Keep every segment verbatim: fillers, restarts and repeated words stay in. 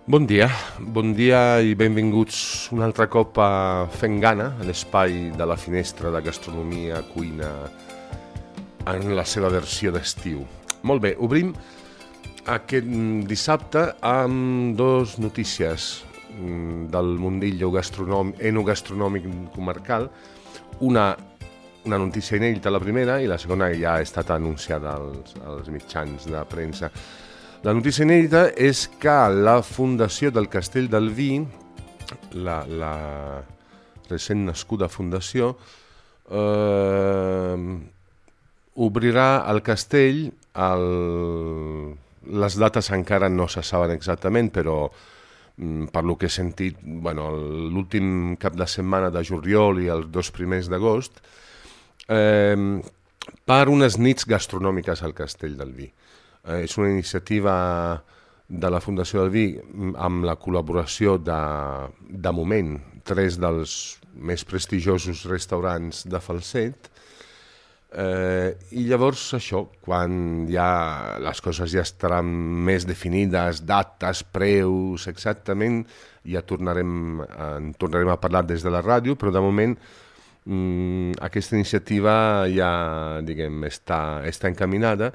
Bon dia, bon dia i benvinguts un altre cop a Fent Gana, a l'espai de la finestra de gastronomia, cuina, en la seva versió d'estiu. Molt bé, obrim aquest dissabte amb dos notícies del mundillo gastronòmic, enogastronòmic comarcal. Una, una notícia inèdita, la primera, i la segona ja ha estat anunciada als, als mitjans de premsa. La notícia inèdita és que la Fundació del Castell del Vi, la, la recent nascuda fundació, eh, obrirà el castell. El, les dates encara no se saben exactament, però per lo que he sentit, bueno, l'últim cap de setmana de juliol i els dos primers d'agost, eh, per unes nits gastronòmiques al Castell del Vi. Eh, és una iniciativa de la Fundació del Vi amb la col·laboració de, de moment, tres dels més prestigiosos restaurants de Falset. Eh, I llavors això, quan ja les coses ja estaran més definides, dates, preus, exactament, ja tornarem, en tornarem a parlar des de la ràdio, però de moment mm, aquesta iniciativa ja, diguem, està, està encaminada.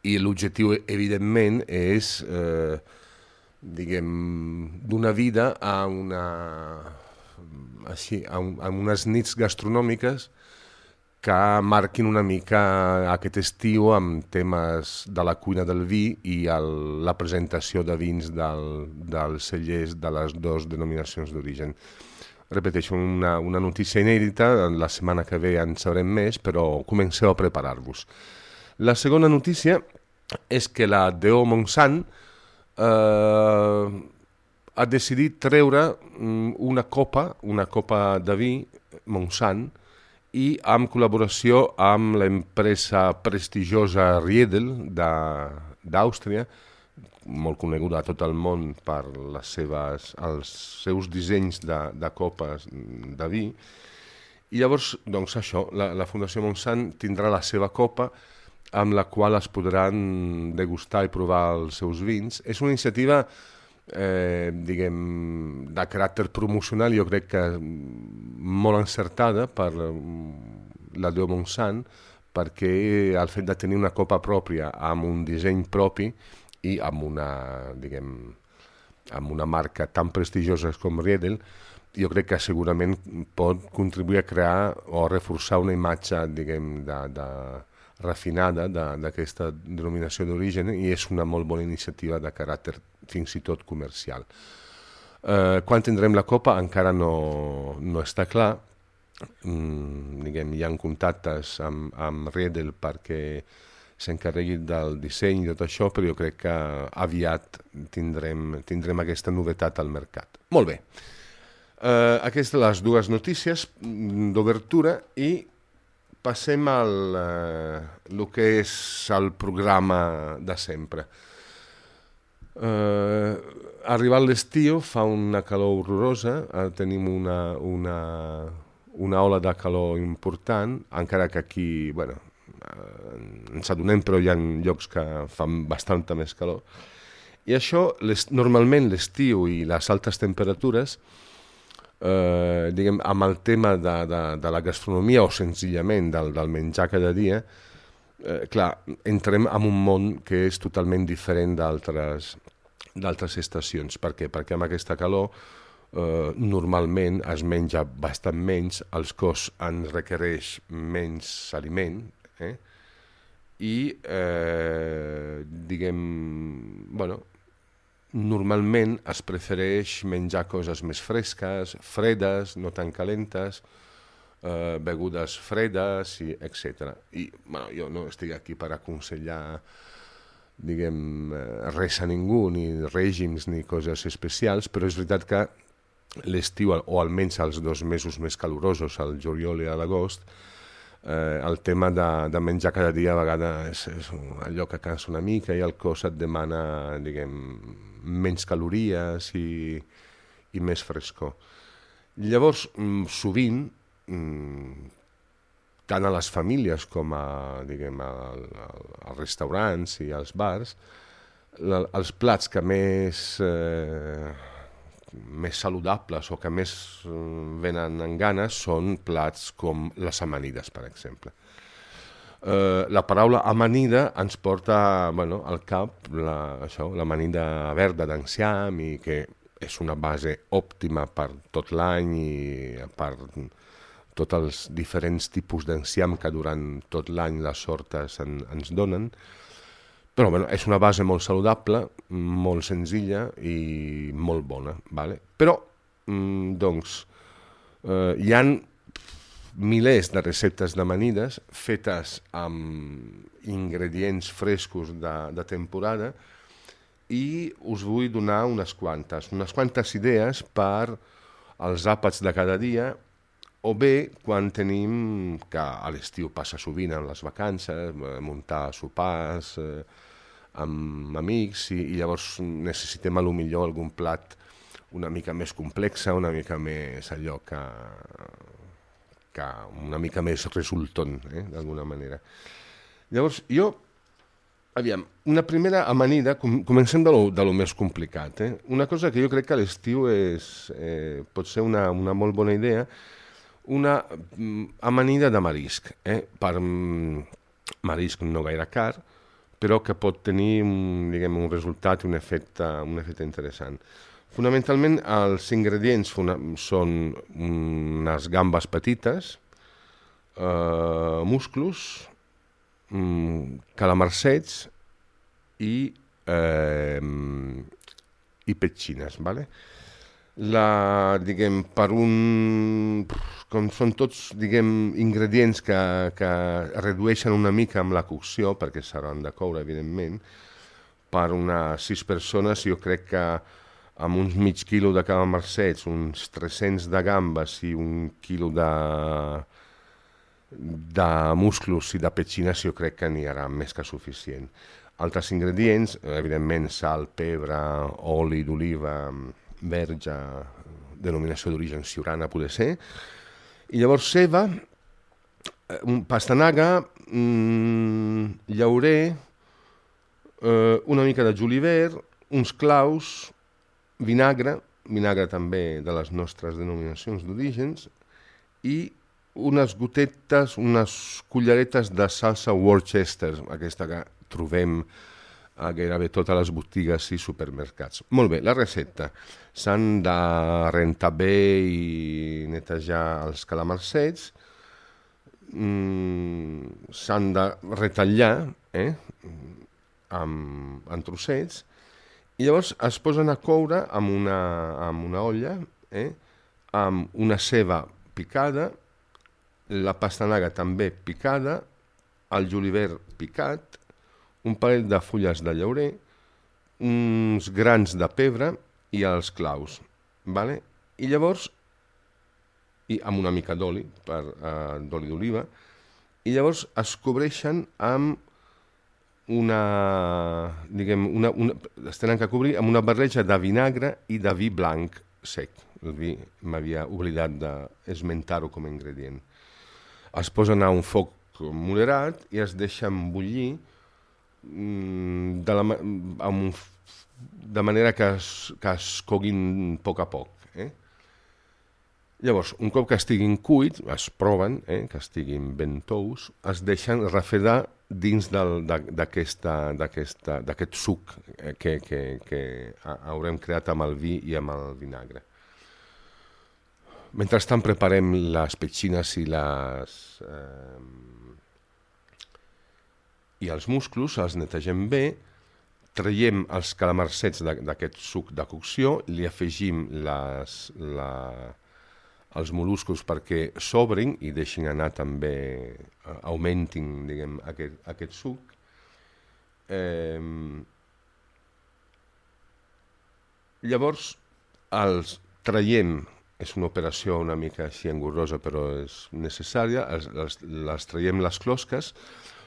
I l'objectiu, evidentment, és, eh, diguem, donar vida a, una, així, a, un, a unes nits gastronòmiques que marquin una mica aquest estiu amb temes de la cuina del vi i el, la presentació de vins del, dels cellers de les dues denominacions d'origen. Repeteixo, una, una notícia inèdita, la setmana que ve en sabrem més, però comenceu a preparar-vos. La segona notícia és que la D O Montsant eh, ha decidit treure una copa, una copa de vi Montsant, i en col·laboració amb l'empresa prestigiosa Riedel d'Àustria, molt coneguda a tot el món per les seves, els seus dissenys de, de copes de vi. I llavors, doncs això, la, la Fundació Montsant tindrà la seva copa amb la qual es podran degustar i provar els seus vins. És una iniciativa, eh, diguem, de caràcter promocional, jo crec que molt encertada per la D O Montsant, perquè el fet de tenir una copa pròpia amb un disseny propi i amb una, diguem, amb una marca tan prestigiosa com Riedel, jo crec que segurament pot contribuir a crear o a reforçar una imatge, diguem, de, de refinada d'aquesta denominació d'origen, i és una molt bona iniciativa de caràcter fins i tot comercial. Eh, quan tindrem la copa encara no, no està clar. Mm, diguem, hi ha contactes amb, amb Riedel perquè s'encarregui del disseny i tot això, però jo crec que aviat tindrem, tindrem aquesta novetat al mercat. Molt bé. Eh, aquestes les dues notícies d'obertura i passem al eh, el que és el programa de sempre. Eh, arribat l'estiu, fa una calor horrorosa, eh, tenim una, una, una ola de calor important, encara que aquí, bueno, eh, ens adonem, però hi ha llocs que fan bastanta més calor. I això, les, normalment l'estiu i les altes temperatures, Eh, diguem, amb el tema de, de, de la gastronomia o senzillament del, del menjar cada dia, eh, clar, entrem en un món que és totalment diferent d'altres d'altres estacions. Per què? Perquè amb aquesta calor eh, normalment es menja bastant menys, el cos ens requereix menys aliment, eh? I eh, diguem, bueno, normalment es prefereix menjar coses més fresques, fredes, no tan calentes, eh, begudes fredes, i etcètera. I bueno, jo no estic aquí per aconsellar, diguem, res a ningú, ni règims ni coses especials, però és veritat que l'estiu, o almenys els dos mesos més calorosos, el juliol i l'agost, eh, el tema de, de menjar cada dia a vegades és, és allò que cansa una mica i el cos et demana, diguem, menys calories i, i més frescor. Llavors, sovint, tant a les famílies com a, diguem, a, a, als restaurants i als bars, la, els plats que més, eh, més saludables o que més eh, venen en ganes són plats com les amanides, per exemple. Eh, la paraula amanida ens porta bueno, al cap la, això, l'amanida verda d'enciam i que és una base òptima per tot l'any i per tots els diferents tipus d'enciam que durant tot l'any les hortes en, ens donen. Però bueno, és una base molt saludable, molt senzilla i molt bona. Vale? Però, mm, doncs, eh, hi ha milers de receptes d'amanides fetes amb ingredients frescos de, de temporada i us vull donar unes quantes, unes quantes idees per als àpats de cada dia o bé quan tenim, que a l'estiu passa sovint en les vacances, muntar sopars eh, amb amics i, i llavors necessitem a lo millor algun plat una mica més complex, una mica més allò que, que una mica més resultant, eh, d'alguna manera. Llavors, jo, aviam, una primera amanida, com, comencem de lo, de lo més complicat, eh? Una cosa que jo crec que a l'estiu és, eh, pot ser una, una molt bona idea, una amanida de marisc, eh? Per marisc no gaire car, però que pot tenir diguem, un resultat i un efecte, un efecte interessant. Fonamentalment, els ingredients són unes gambes petites, eh, musclos, calamarsets i, eh, i petxines, ¿vale? La, diguem, per un... com són tots, diguem, ingredients que, que redueixen una mica amb la cocció, perquè s'hauran de coure, evidentment, per unes sis persones, jo crec que amb uns mig quilo de calamarsets, uns tres-cents de gambes i un quilo de, de musclos i de petxines, jo crec que n'hi haurà més que suficient. Altres ingredients, evidentment, sal, pebre, oli d'oliva, verge, denominació d'origen siurana, poder ser. I llavors ceba, pastanaga, mmm, llaurer, eh, una mica de julivert, uns claus, vinagre, vinagre també de les nostres denominacions d'orígens, i unes gotetes, unes culleretes de salsa Worcester, aquesta que trobem a gairebé totes les botigues i supermercats. Molt bé, la recepta. S'han de rentar bé i netejar els calamarsets, mm, s'han de retallar eh, amb, en trossets, i llavors es posen a coure amb una, amb una olla, eh, amb una ceba picada, la pastanaga també picada, el julivert picat, un parell de fulles de llaurer, uns grans de pebre i els claus, vale? I llavors, i amb una mica d'oli, per, uh, d'oli d'oliva, i llavors es cobreixen amb una, diguem, una, una, es tenen que cobrir amb una barreja de vinagre i de vi blanc sec. El vi m'havia oblidat d'esmentar-ho com a ingredient. Es posen a un foc moderat i es deixen bullir de, la, amb un, de manera que es, que es coguin a poc a poc. Eh? Llavors, un cop que estiguin cuits, es proven, eh, que estiguin ben tous, es deixen refredar dins del, d'aquest suc que, que, que haurem creat amb el vi i amb el vinagre. Mentrestant preparem les petxines i les... Eh, i els musclos, els netegem bé, traiem els calamarsets d'aquest suc de cocció, li afegim les, la, els moluscos perquè s'obrin i deixin anar també, augmentin diguem, aquest, aquest suc. Eh, llavors, els traiem, és una operació una mica així engorrosa però és necessària, els, els, les traiem les closques,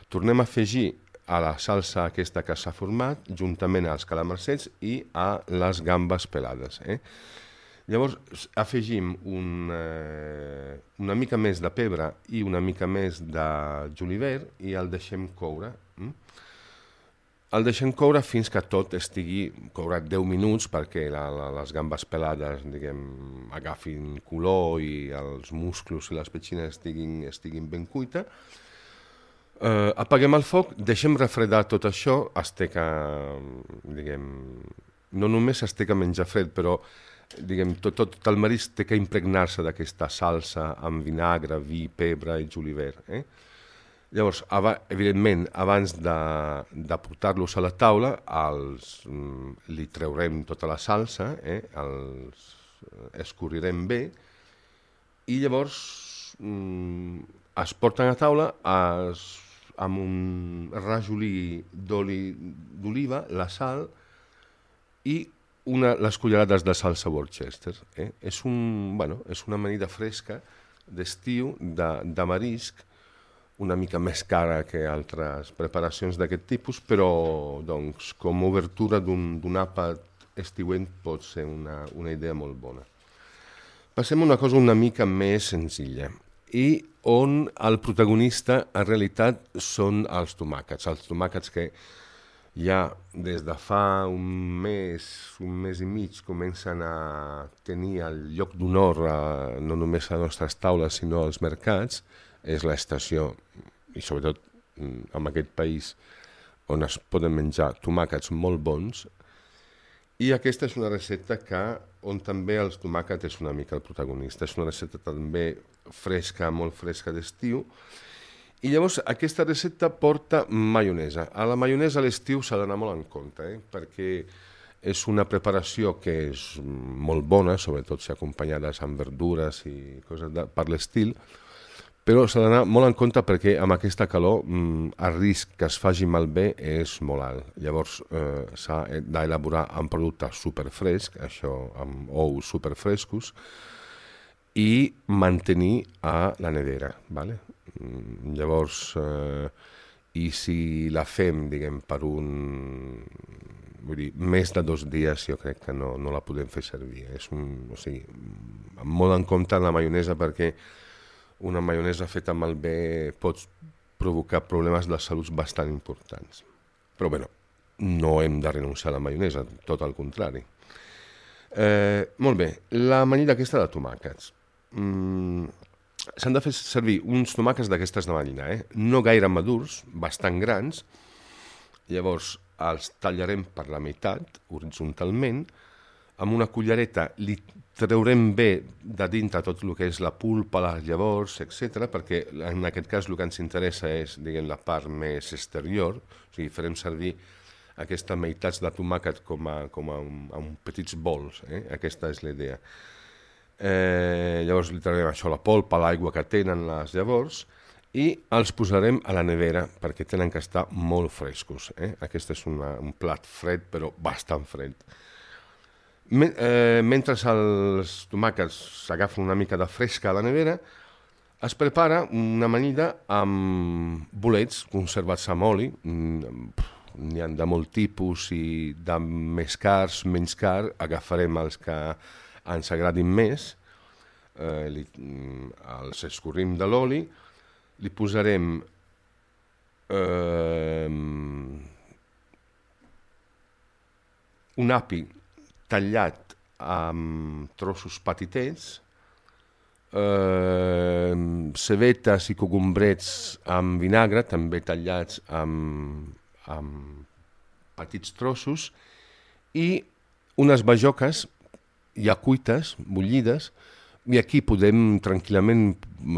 tornem a afegir a la salsa aquesta que s'ha format, juntament als calamarsets i a les gambes pelades. Eh? Llavors afegim un, eh, una mica més de pebre i una mica més de julivert i el deixem coure. Mm? el deixem coure fins que tot estigui courat deu minuts perquè la, la, les gambes pelades, diguem, agafin color i els musclos i les petxines estiguin, estiguin ben cuita. Uh, apaguem el foc, deixem refredar tot això, es té que, diguem, no només es té que menjar fred, però diguem, tot, tot, tot el marisc té que impregnar-se d'aquesta salsa amb vinagre, vi, pebre i julivert, eh? Llavors, evidentment, abans de, de portar-los a la taula, els, li treurem tota la salsa, eh? Els escorrirem bé, i llavors es porten a taula es, amb un rajolí d'oli d'oliva, la sal i una, les cullerades de salsa Worcester. Eh? És, un, bueno, és una amanida fresca d'estiu, de, de marisc, una mica més cara que altres preparacions d'aquest tipus, però doncs, com a obertura d'un àpat estiuent pot ser una, una idea molt bona. Passem a una cosa una mica més senzilla, i on el protagonista en realitat són els tomàquets. Els tomàquets que ja des de fa un mes, un mes i mig, comencen a tenir el lloc d'honor no només a les nostres taules, sinó als mercats. És l'estació, i sobretot en aquest país, on es poden menjar tomàquets molt bons, i aquesta és una recepta que, on també els tomàquets és una mica el protagonista. És una recepta també fresca, molt fresca d'estiu, i llavors aquesta recepta porta maionesa. A la maionesa a l'estiu s'ha d'anar molt en compte, eh? Perquè és una preparació que és molt bona, sobretot si acompanyades amb verdures i coses de, per l'estil, però s'ha d'anar molt en compte perquè amb aquesta calor mm, el risc que es faci malbé és molt alt. Llavors eh, s'ha d'elaborar amb productes superfrescs, això amb ous superfrescos, i mantenir a la nevera. Vale? Llavors, eh, i si la fem, diguem, per un... Vull dir, més de dos dies jo crec que no, no la podem fer servir. És un, o sigui, molt en compte la maionesa perquè una maionesa feta malbé pot provocar problemes de salut bastant importants. Però bé, no hem de renunciar a la maionesa, tot al contrari. Eh, molt bé, l'amanida aquesta de tomàquets. Mm, s'han de fer servir uns tomàquets d'aquestes de mallina, eh? No gaire madurs, bastant grans. Llavors els tallarem per la meitat, horitzontalment. Amb una cullereta li treurem bé de dintre tot el que és la pulpa, les llavors, etcètera, perquè en aquest cas el que ens interessa és, diguem, la part més exterior, o sigui, farem servir aquestes meitats de tomàquet com a, com a, un, a un petits bols, eh? Aquesta és la idea. Eh, llavors li traurem això, la polpa, l'aigua que tenen les llavors, i els posarem a la nevera perquè tenen que estar molt frescos. Eh? Aquest és una, un plat fred, però bastant fred. Men eh, mentre els tomàquets s'agafen una mica de fresca a la nevera, es prepara una amanida amb bolets conservats amb oli. N'hi ha de molt tipus i de més cars, menys car. Agafarem els que ens agradin més, eh, li, els escorrim de l'oli, li posarem eh, un api tallat amb trossos petitets, eh, cebetes i cogombrets amb vinagre, també tallats amb, amb petits trossos, i unes bajoques ja cuites, bullides, i aquí podem tranquil·lament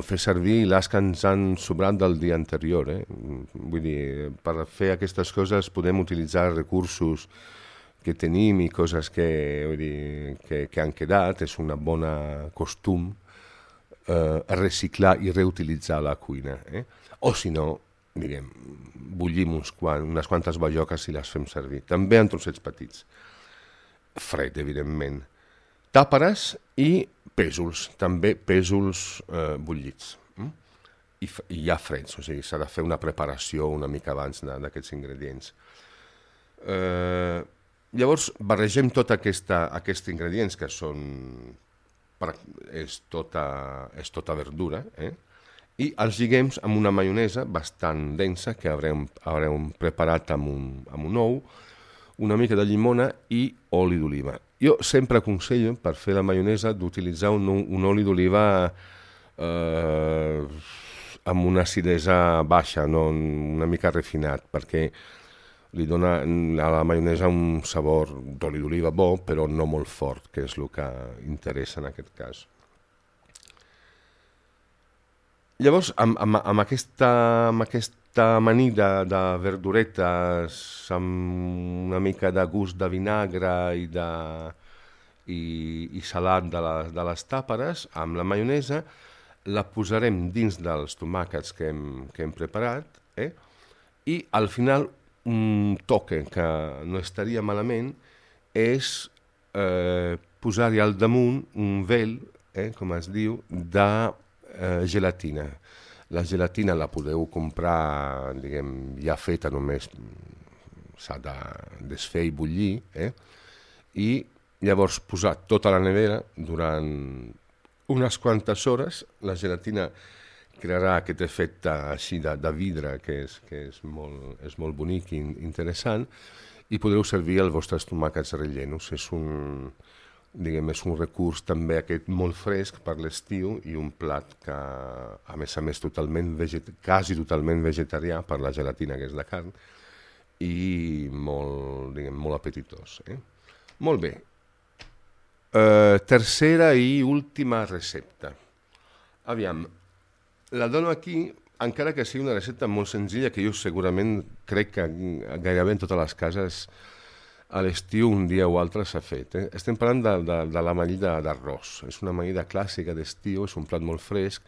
fer servir les que ens han sobrat del dia anterior. Eh? Vull dir, per fer aquestes coses podem utilitzar recursos que tenim i coses que, vull dir, que, que han quedat. És una bona costum eh, reciclar i reutilitzar la cuina. Eh? O si no, diguem, bullim uns quan, unes quantes bajoques i les fem servir. També en trossets petits. Fred, evidentment. Tàperes i pèsols, també pèsols eh, bullits. Mm? I, I ja freds, o sigui, s'ha de fer una preparació una mica abans d'aquests ingredients. Eh, llavors, barregem tots aquests ingredients que són... És tota, és tota verdura, eh? i els lliguem amb una maionesa bastant densa que haurem, haurem preparat amb un, amb un ou, una mica de llimona i oli d'oliva. Jo sempre aconsello, per fer la maionesa, d'utilitzar un, un oli d'oliva eh, amb una acidesa baixa, no una mica refinat, perquè li dona a la maionesa un sabor d'oli d'oliva bo, però no molt fort, que és el que interessa en aquest cas. Llavors, amb, amb, amb, aquesta, amb aquesta amanida de verduretes, amb una mica de gust de vinagre i, de, i, i salat de, la, de les tàperes, amb la maionesa, la posarem dins dels tomàquets que hem, que hem preparat, eh? I al final un toque que no estaria malament és eh, posar-hi al damunt un vel, eh, com es diu, de Eh, gelatina. La gelatina la podeu comprar, diguem, ja feta, només s'ha de desfer i bullir, eh? I llavors posar tota la nevera durant unes quantes hores. La gelatina crearà aquest efecte així de, de vidre que és, que és, molt, és molt bonic i interessant, i podreu servir els vostres tomàquets rellenos. És un... diguem, és un recurs també aquest molt fresc per l'estiu i un plat que, a més a més, totalment veget... quasi totalment vegetarià per la gelatina que és de carn i molt, diguem, molt apetitós. Eh? Molt bé. Uh, tercera i última recepta. Aviam, la dono aquí, encara que sigui una recepta molt senzilla que jo segurament crec que gairebé en totes les cases a l'estiu un dia o altre s'ha fet. Eh? Estem parlant de, de, de l'amanida d'arròs. És una amanida clàssica d'estiu, és un plat molt fresc.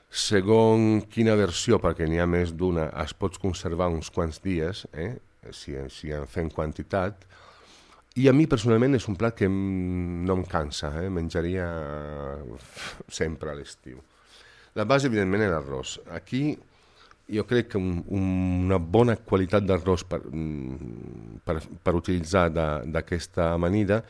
Segons quina versió, perquè n'hi ha més d'una, es pot conservar uns quants dies, eh? si, si en fem quantitat. I a mi personalment és un plat que no em cansa, eh? Menjaria sempre a l'estiu. La base, evidentment, és l'arròs. Aquí jo crec que un, una bona qualitat d'arròs per, per, per utilitzar d'aquesta amanida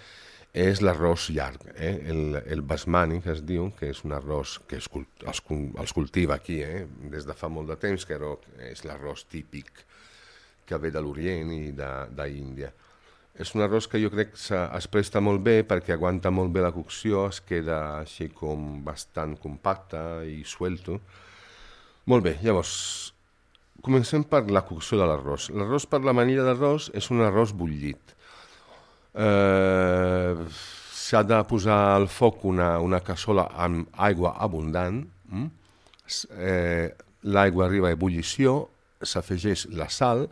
és l'arròs llarg, eh? el, el basmani, que es diu, que és un arròs que es, els, els cultiva aquí eh? des de fa molt de temps, que és l'arròs típic que ve de l'Orient i d'Índia. És un arròs que jo crec que es presta molt bé perquè aguanta molt bé la cocció, es queda així com bastant compacte i suelto. Molt bé, llavors, comencem per la cocció de l'arròs. L'arròs per l'amanida d'arròs és un arròs bullit. Eh, S'ha de posar al foc una, una cassola amb aigua abundant. Mm? Eh, L'aigua arriba a ebullició, s'afegeix la sal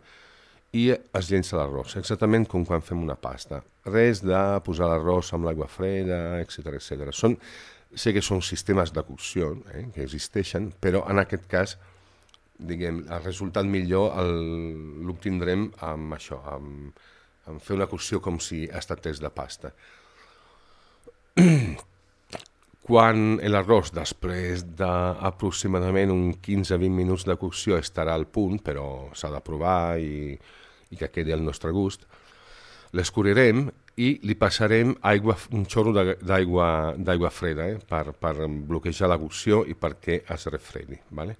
i es llença l'arròs, exactament com quan fem una pasta. Res de posar l'arròs amb l'aigua freda, etcètera, etcètera. Són Sé que són sistemes de cocció eh, que existeixen, però en aquest cas, diguem, el resultat millor l'obtindrem amb això, amb, amb fer una cocció com si es tractés de pasta. Quan l'arròs, després d'aproximadament un quinze a vint minuts de cocció, estarà al punt, però s'ha de provar i, i que quedi al nostre gust, l'escurirem i li passarem aigua, un xorro d'aigua freda eh, per, per bloquejar la cocció i perquè es refredi. Vale?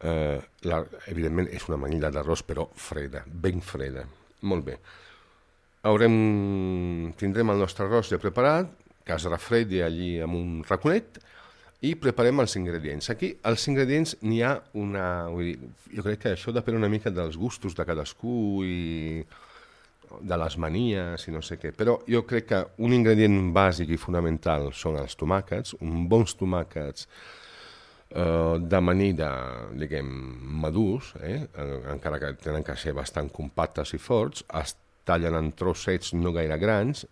Eh, la, evidentment és una amanida d'arròs però freda, ben freda. Molt bé. Haurem, tindrem el nostre arròs ja preparat, que es refredi allí amb un raconet i preparem els ingredients. Aquí els ingredients n'hi ha una... Vull dir, jo crec que això depèn una mica dels gustos de cadascú i de les manies i no sé què, però jo crec que un ingredient bàsic i fonamental són els tomàquets, uns bons tomàquets eh, d'amanida, diguem, madurs, eh, encara que tenen que ser bastant compactes i forts, es tallen en trossets no gaire grans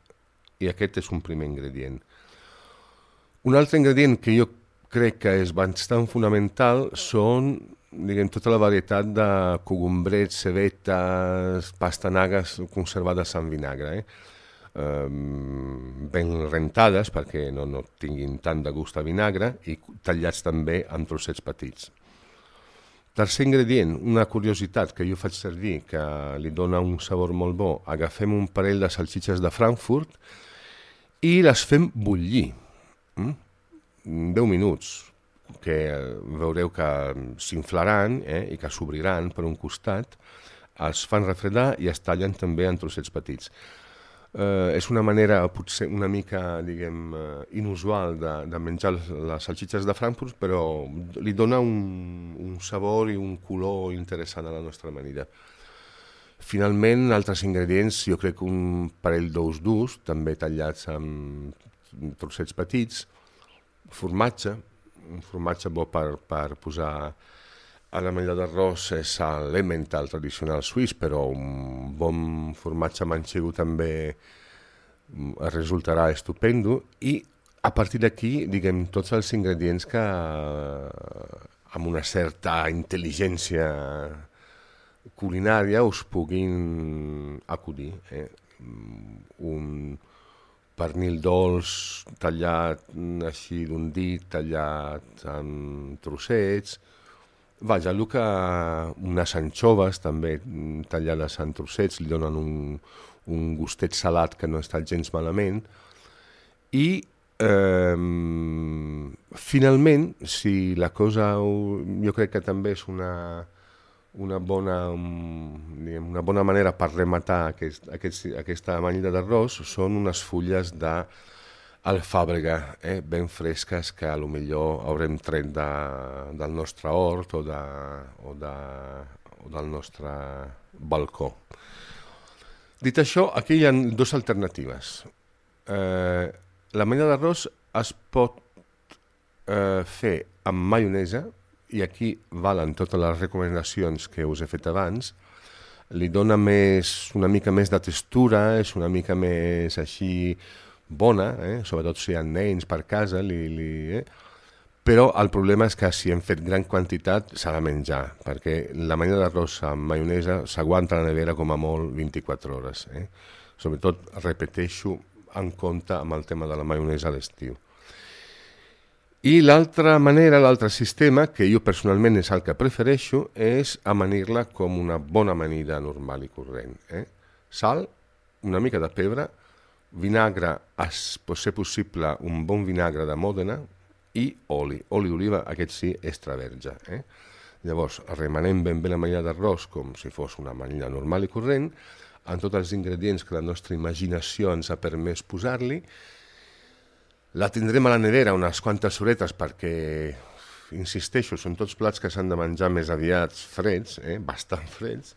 i aquest és un primer ingredient. Un altre ingredient que jo crec que és bastant fonamental són, diguem, tota la varietat de cogombrets, cebetes, pastanagues conservades en vinagre, eh? Eh, ben rentades perquè no, no tinguin tant de gust a vinagre i tallats també en trossets petits. Tercer ingredient, una curiositat que jo faig servir, que li dona un sabor molt bo. Agafem un parell de salsitxes de Frankfurt i les fem bullir. Mm? deu minuts, que veureu que s'inflaran eh, i que s'obriran per un costat, es fan refredar i es tallen també en trossets petits. Eh, és una manera potser una mica, diguem, eh, inusual de, de menjar les salsitxes de Frankfurt, però li dona un, un sabor i un color interessant a la nostra amanida. Finalment, altres ingredients, jo crec que un parell d'ous durs, també tallats amb trossets petits, formatge, un formatge bo per, per posar a l'amanida d'arròs és l'Emmental tradicional suís, però un bon formatge manxego també resultarà estupendo, i a partir d'aquí, diguem, tots els ingredients que amb una certa intel·ligència culinària us puguin acudir. Eh? Un pernil dolç tallat així d'un dit, tallat en trossets, vaja, el que unes anxoves també tallades en trossets li donen un, un gustet salat que no està gens malament. I eh, finalment, si la cosa, jo crec que també és una, una, bona, una bona manera per rematar aquest, aquest, aquesta amanida d'arròs, són unes fulles de alfàbrega, eh, ben fresques, que a lo millor haurem tret de, del nostre hort o, de, o, de, o del nostre balcó. Dit això, aquí hi ha dues alternatives. Eh, l'amanida d'arròs es pot eh, fer amb maionesa, i aquí valen totes les recomanacions que us he fet abans. Li dona més, una mica més de textura, és una mica més així bona, eh? Sobretot si hi ha nens per casa, li, li, eh? Però el problema és que si hem fet gran quantitat s'ha de menjar, perquè l'amanida d'arròs amb maionesa s'aguanta a la nevera com a molt vint-i-quatre hores. Eh? Sobretot, repeteixo, en compte amb el tema de la maionesa a l'estiu. I l'altra manera, l'altre sistema, que jo personalment és el que prefereixo, és amanir-la com una bona amanida normal i corrent. Eh? Sal, una mica de pebre, vinagre, es pot ser possible un bon vinagre de Mòdena, i oli, oli d'oliva, aquest sí, extra verge. Eh? Llavors, remenem ben bé l'amanida d'arròs com si fos una amanida normal i corrent, amb tots els ingredients que la nostra imaginació ens ha permès posar-li. La tindrem a la nevera unes quantes horetes perquè, insisteixo, són tots plats que s'han de menjar més aviat freds, eh? Bastant freds,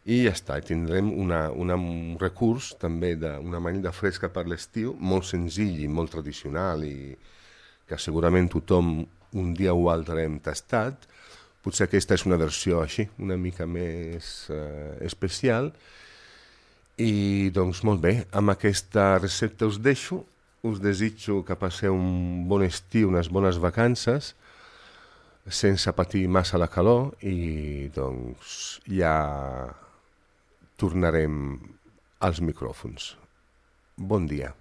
i ja està, tindrem una, una, un recurs també d'una amanida fresca per l'estiu, molt senzill i molt tradicional, i que segurament tothom un dia o altre hem tastat. Potser aquesta és una versió així, una mica més eh, especial. I doncs molt bé, amb aquesta recepta us deixo, us desitjo que passeu un bon estiu, unes bones vacances, sense patir massa la calor, i doncs ja tornarem als micròfons. Bon dia.